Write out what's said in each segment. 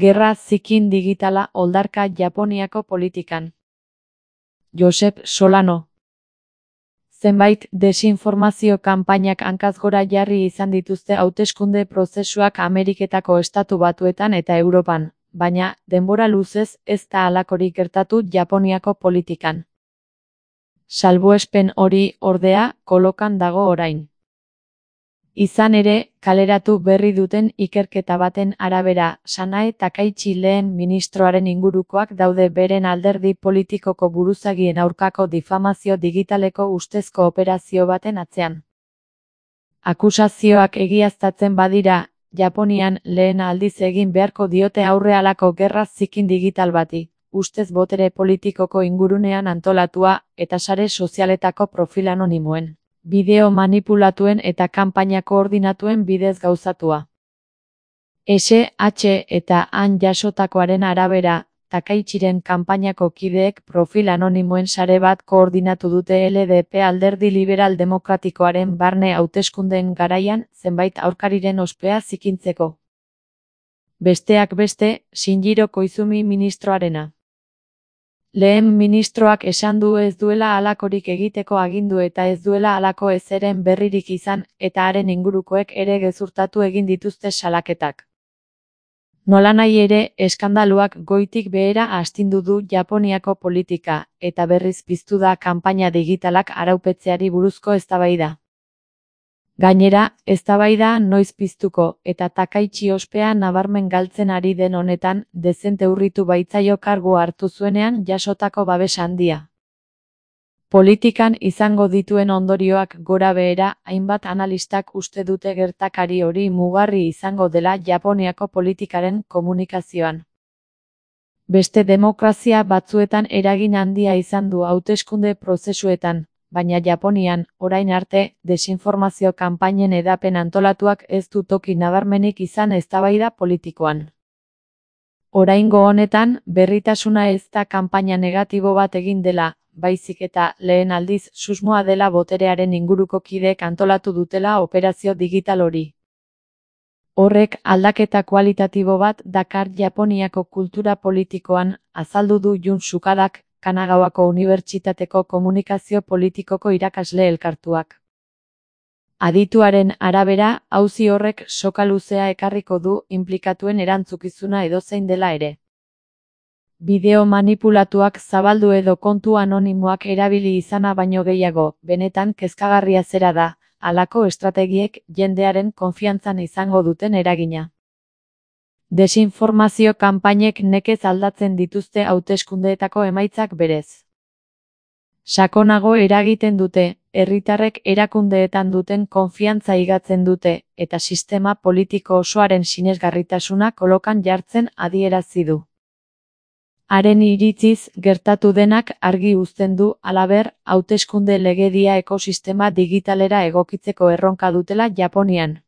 Gerra zikin digitala oldarka Japoniako politikan. Josep Solano. Zenbait desinformazio kanpainak hankaz gora jarri izan dituzte hauteskunde prozesuak Ameriketako Estatu Batuetan eta Europan, baina denbora luzez ez da halakorik gertatu Japoniako politikan. Salbuespen hori, ordea, kolokan dago orain. Izan ere, kaleratu berri duten ikerketa baten arabera, Sanae Takaichi lehen ministroaren ingurukoak daude beren alderdi politikoko buruzagien aurkako difamazio digitaleko ustezko operazio baten atzean. Akusazioak egiaztatzen badira, Japonian lehen aldiz egin beharko diote aurre halako gerra zikin digital bati, ustez botere politikoko ingurunean antolatua eta sare sozialetako profil anonimoen, bideo manipulatuen eta kanpaina koordinatuen bidez gauzatua. SH eta han jasotakoaren arabera, Takaichiren kanpainako kideek profil anonimoen sare bat koordinatu dute LDP alderdi liberal demokratikoaren barne hauteskundeen garaian zenbait aurkariren ospea zikintzeko. Besteak beste, Shinjiro Koizumi ministroarena. Lehen ministroak esan du ez duela halakorik egiteko agindu eta ez duela halako ezeren berririk izan eta haren ingurukoek ere gezurtatu egin dituzte salaketak. Nolanahi ere, eskandaluak goitik behera astindu du Japoniako politika, eta berriz piztu da kanpaina digitalak araupetzeari buruzko eztabaida. Gainera, eztabaida noiz piztuko eta Takaichi ospea nabarmen galtzen ari den honetan, dezente urritu baitzaio kargu hartu zuenean jasotako babes handia. Politikan izango dituen ondorioak gora behera, hainbat analistak uste dute gertakari hori mugarri izango dela Japoniako politikaren komunikazioan. Beste demokrazia batzuetan eragin handia izan du hauteskunde prozesuetan, baina Japonian, orain arte, desinformazio kanpainen edapen antolatuak ez du toki nabarmenik izan eztabaida politikoan. Oraingo honetan, berritasuna ez da kanpaina negatibo bat egin dela, baizik eta lehen aldiz susmoa dela boterearen inguruko kideek antolatu dutela operazio digital hori. Horrek aldaketa kualitatibo bat dakar Japoniako kultura politikoan, azaldu du Jun Sukadak, Kanagawako Unibertsitateko komunikazio politikoko irakasle elkartuak. Adituaren arabera, auzi horrek soka luzea ekarriko du inplikatuen erantzukizuna edozein dela ere. Bideo manipulatuak zabaldu edo kontu anonimoak erabili izana baino gehiago, benetan kezkagarria zera da, halako estrategiek jendearen konfiantzan izango duten eragina. Desinformazio kanpainek nekez aldatzen dituzte hauteskundeetako emaitzak berez. Sakonago eragiten dute, herritarrek erakundeetan duten konfiantza higatzen dute, eta sistema politiko osoaren sinesgarritasuna kolokan jartzen adierazi du. Haren iritziz, gertatu denak argi uzten du, halaber, hauteskunde legedia ekosistema digitalera egokitzeko erronka dutela Japonian.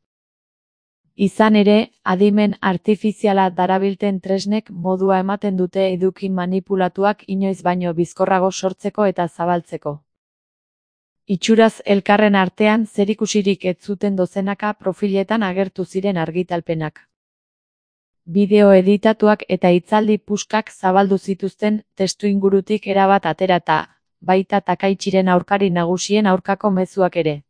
Izan ere, adimen artifiziala darabilten tresnek modua ematen dute eduki manipulatuak inoiz baino bizkorrago sortzeko eta zabaltzeko. Itxuraz elkarren artean zerikusirik ez zuten dozenaka profiletan agertu ziren argitalpenak. Bideo editatuak eta hitzaldi puskak zabaldu zituzten testuingurutik erabat aterata, baita Takaichiren aurkari nagusien aurkako mezuak ere.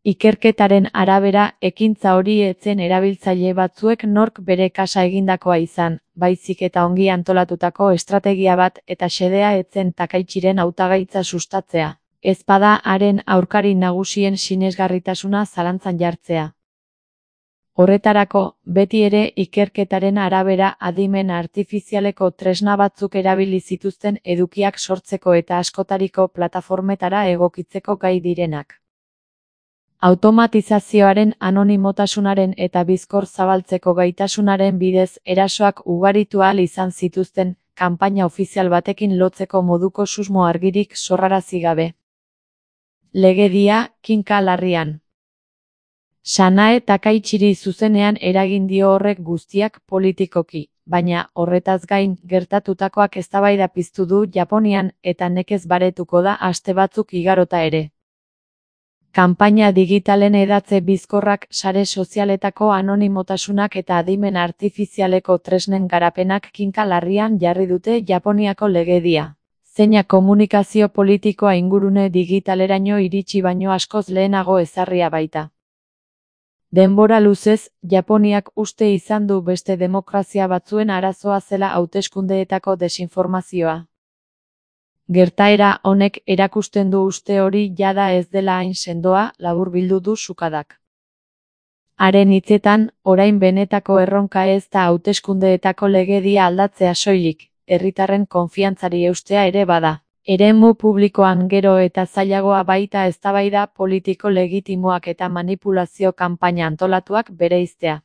Ikerketaren arabera, ekintza hori etzen erabiltzaile batzuek nork bere kasa egindakoa izan, baizik eta ongi antolatutako estrategia bat eta xedea etzen Takaichiren hautagaitza sustatzea, ezpada haren aurkari nagusien sinesgarritasuna zalantzan jartzea. Horretarako, beti ere ikerketaren arabera adimen artifizialeko tresna batzuk erabili zituzten edukiak sortzeko eta askotariko plataformetara egokitzeko gai direnak. Automatizazioaren anonimotasunaren eta bizkor zabaltzeko gaitasunaren bidez erasoak ugaritu ahal izan zituzten, kanpaina ofizial batekin lotzeko moduko susmo argirik sorrarazi gabe. Legedia, kinka larrian. Sanae Takaichiri zuzenean eragin dio horrek guztiak politikoki, baina horretaz gain gertatutakoak eztabaida piztu du Japonian eta nekez baretuko da aste batzuk igarota ere. Kanpaina digitalen hedatze bizkorrak, sare sozialetako anonimotasunak eta adimen artifizialeko tresnen garapenak kinka larrian jarri dute Japoniako legedia. Zeina komunikazio politikoa ingurune digitaleraino iritsi baino askoz lehenago ezarria baita. Denbora luzez, Japoniak uste izan du beste demokrazia batzuen arazoa zela hauteskundeetako desinformazioa. Gertaera honek erakusten du uste hori jada ez dela hain sendoa, laburbildu du Sukadak. Haren hitzetan, orain benetako erronka ez da hauteskundeetako legedia aldatzea soilik, herritarren konfiantzari eustea ere bada. Eremu publikoan gero eta zailagoa baita eztabaida politiko legitimoak eta manipulazio kanpaina antolatuak bereiztea.